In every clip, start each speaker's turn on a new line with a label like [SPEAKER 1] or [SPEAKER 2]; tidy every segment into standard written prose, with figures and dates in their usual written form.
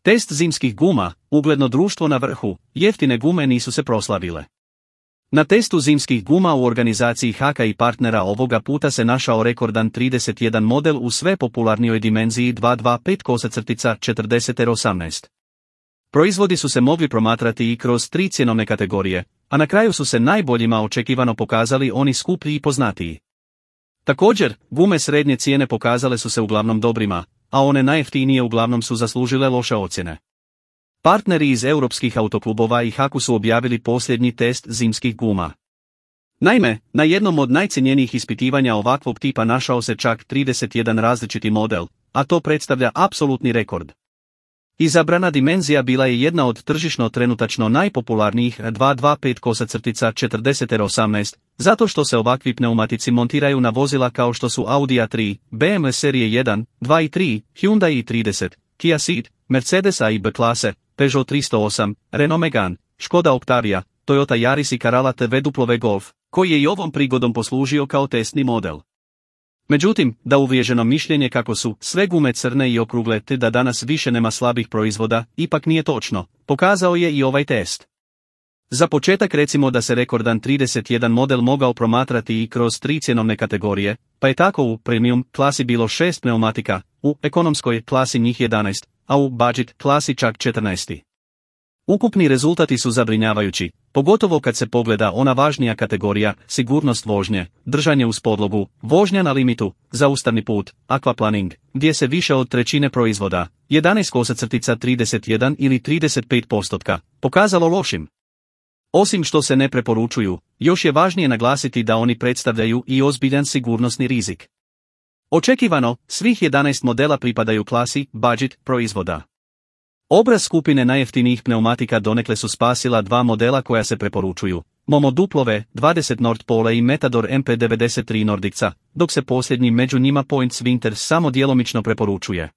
[SPEAKER 1] Test zimskih guma, ugledno društvo na vrhu, jeftine gume nisu se proslavile. Na testu zimskih guma u organizaciji Haka i partnera ovoga puta se našao rekordan 31 model u sve popularnijoj dimenziji 225-40-18. Proizvodi su se mogli promatrati i kroz 3 cjenovne kategorije, a na kraju su se najboljima očekivano pokazali oni skuplji i poznatiji. Također, gume srednje cijene pokazale su se uglavnom dobrima, a one najjeftinije uglavnom su zaslužile loše ocjene. Partneri iz europskih autoklubova i Haku su objavili posljednji test zimskih guma. Naime, na jednom od najcjenjenijih ispitivanja ovakvog tipa našao se čak 31 različiti model, a to predstavlja apsolutni rekord. Izabrana dimenzija bila je jedna od tržišno trenutačno najpopularnijih 225-40-18, zato što se ovakvi pneumatici montiraju na vozila kao što su Audi A3, BMW serije 1, 2 i 3, Hyundai i30, Kia Ceed, Mercedes A i B klase, Peugeot 308, Renault Megane, Škoda Octavia, Toyota Yaris i Corolla TW Golf, koji je i ovom prigodom poslužio kao testni model. Međutim, da uvriježeno mišljenje kako su sve gume crne i okrugle te da danas više nema slabih proizvoda, ipak nije točno, pokazao je i ovaj test. Za početak recimo da se rekordan 31 model mogao promatrati i kroz 3 cjenovne kategorije, pa je tako u premium klasi bilo 6 pneumatika, u ekonomskoj klasi njih 11, a u budget klasi čak 14. Ukupni rezultati su zabrinjavajući, pogotovo kad se pogleda ona važnija kategorija, sigurnost vožnje, držanje uz podlogu, vožnja na limitu, zaustavni put, aquaplaning, gdje se više od trećine proizvoda, 11-31 ili 35%, pokazalo lošim. Osim što se ne preporučuju, još je važnije naglasiti da oni predstavljaju i ozbiljan sigurnosni rizik. Očekivano, svih 11 modela pripadaju klasi budget proizvoda. Obraz skupine najjeftinijih pneumatika donekle su spasila 2 modela koja se preporučuju, Momo W20 Nord Pole i Metador MP93 Nordica, dok se posljednji među njima Points Winter samo djelomično preporučuje.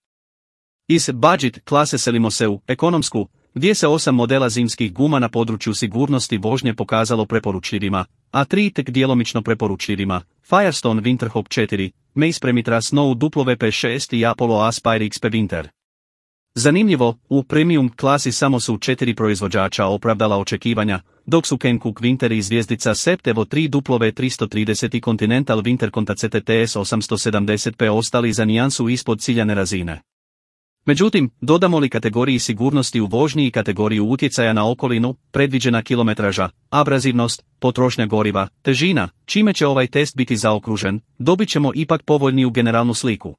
[SPEAKER 1] Iz budget klase selimo se u ekonomsku, gdje se 8 modela zimskih guma na području sigurnosti vožnje pokazalo preporučljivima, a 3 tek djelomično preporučljivima, Firestone Winterhawk 4, Mace Premitra Snow WP6 i Apollo Aspire XP Winter. Zanimljivo, u premium klasi samo su 4 proizvođača opravdala očekivanja, dok su Hankook Winter i zvjezdica Septevo 3 W330 i Continental Winter Conta CTTS 870P ostali za nijansu ispod ciljane razine. Međutim, dodamo li kategoriji sigurnosti u vožnji i kategoriju utjecaja na okolinu, predviđena kilometraža, abrazivnost, potrošnja goriva, težina, čime će ovaj test biti zaokružen, dobit ćemo ipak povoljniju generalnu sliku.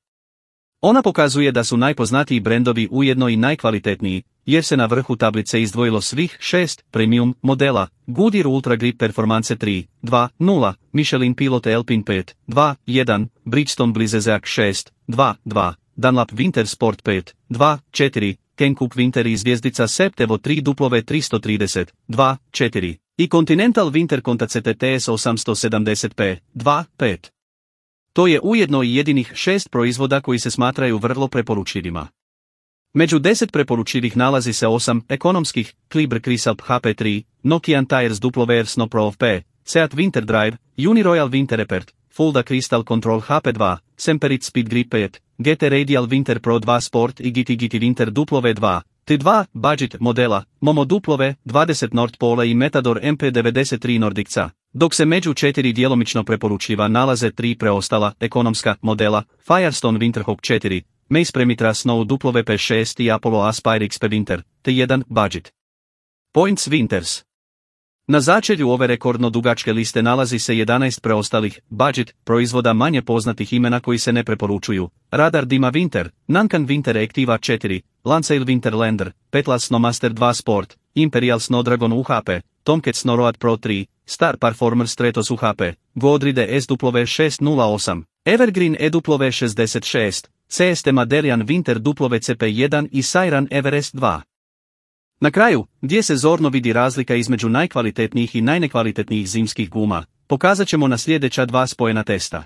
[SPEAKER 1] Ona pokazuje da su najpoznatiji brendovi ujedno i najkvalitetniji, jer se na vrhu tablice izdvojilo svih 6 premium modela, Goodyear Ultra Grip Performance 3, 2, 0, Michelin Pilot Alpine 5, 2, 1, Bridgestone Blizzak 6, 2, 2, Dunlop Winter Sport 5, 2, 4, Hankook Winter i zvjezdica Septevo 3 W330, 2, 4, i Continental Winter Conta CTTS 870P, 2, 5. To je ujedno i jedinih 6 proizvoda koji se smatraju vrlo preporučljivima. Među 10 preporučljivih nalazi se 8 ekonomskih, Kliber Crisalp HP3, Nokian Tires WR Snow Pro P, Seat Winter Drive, Uniroyal Winter Repert, Fulda Crystal Control HP2, Semperit Speed Grip 5, GT Radial Winter Pro 2 Sport i GT Winter W2, T2 budget modela, Momo W20 Nord Pole i Metador MP93 Nordica, dok se među 4 djelomično preporučljiva nalaze 3 preostala ekonomska modela, Firestone Winterhawk 4, Mace Premitra Snow WP6 i Apollo Aspire XP Winter, T1 budget. Points Winters. Na začelju ove rekordno dugačke liste nalazi se 11 preostalih budget proizvoda manje poznatih imena koji se ne preporučuju, Radar Dima Winter, Nankan Winter Activa 4, Lanceil Winter Lander, Petla Snowmaster 2 Sport, Imperial Snowdragon UHP, Tomcat Snowroad Pro 3, Star Performer Stratos UHP, Godride SW608, Evergreen EW66, CST Maderian Winter WCP1 i Siren Everest 2. Na kraju, gdje se zorno vidi razlika između najkvalitetnijih i najnekvalitetnijih zimskih guma, pokazat ćemo na sljedeća 2 spojena testa.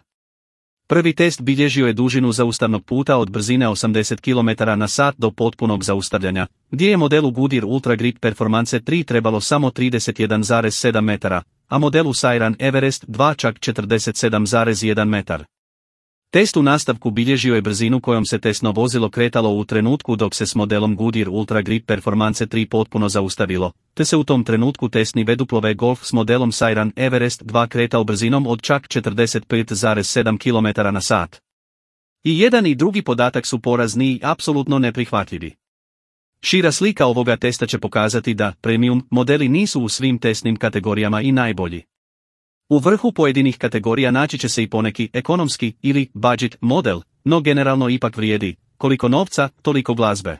[SPEAKER 1] Prvi test bilježio je dužinu zaustavnog puta od brzine 80 km/h do potpunog zaustavljanja, gdje je modelu Goodyear Ultra Grip Performance 3 trebalo samo 31,7 metara, a modelu Siren Everest 2 čak 47,1 metar. Test u nastavku bilježio je brzinu kojom se testno vozilo kretalo u trenutku dok se s modelom Goodyear Ultra Grip Performance 3 potpuno zaustavilo, te se u tom trenutku testni V Golf s modelom Siren Everest 2 kretao brzinom od čak 45,7 km/h. I jedan i drugi podatak su porazni i apsolutno neprihvatljivi. Šira slika ovoga testa će pokazati da premium modeli nisu u svim testnim kategorijama i najbolji. U vrhu pojedinih kategorija naći će se i poneki ekonomski ili budget model, no generalno ipak vrijedi, koliko novca, toliko glazbe.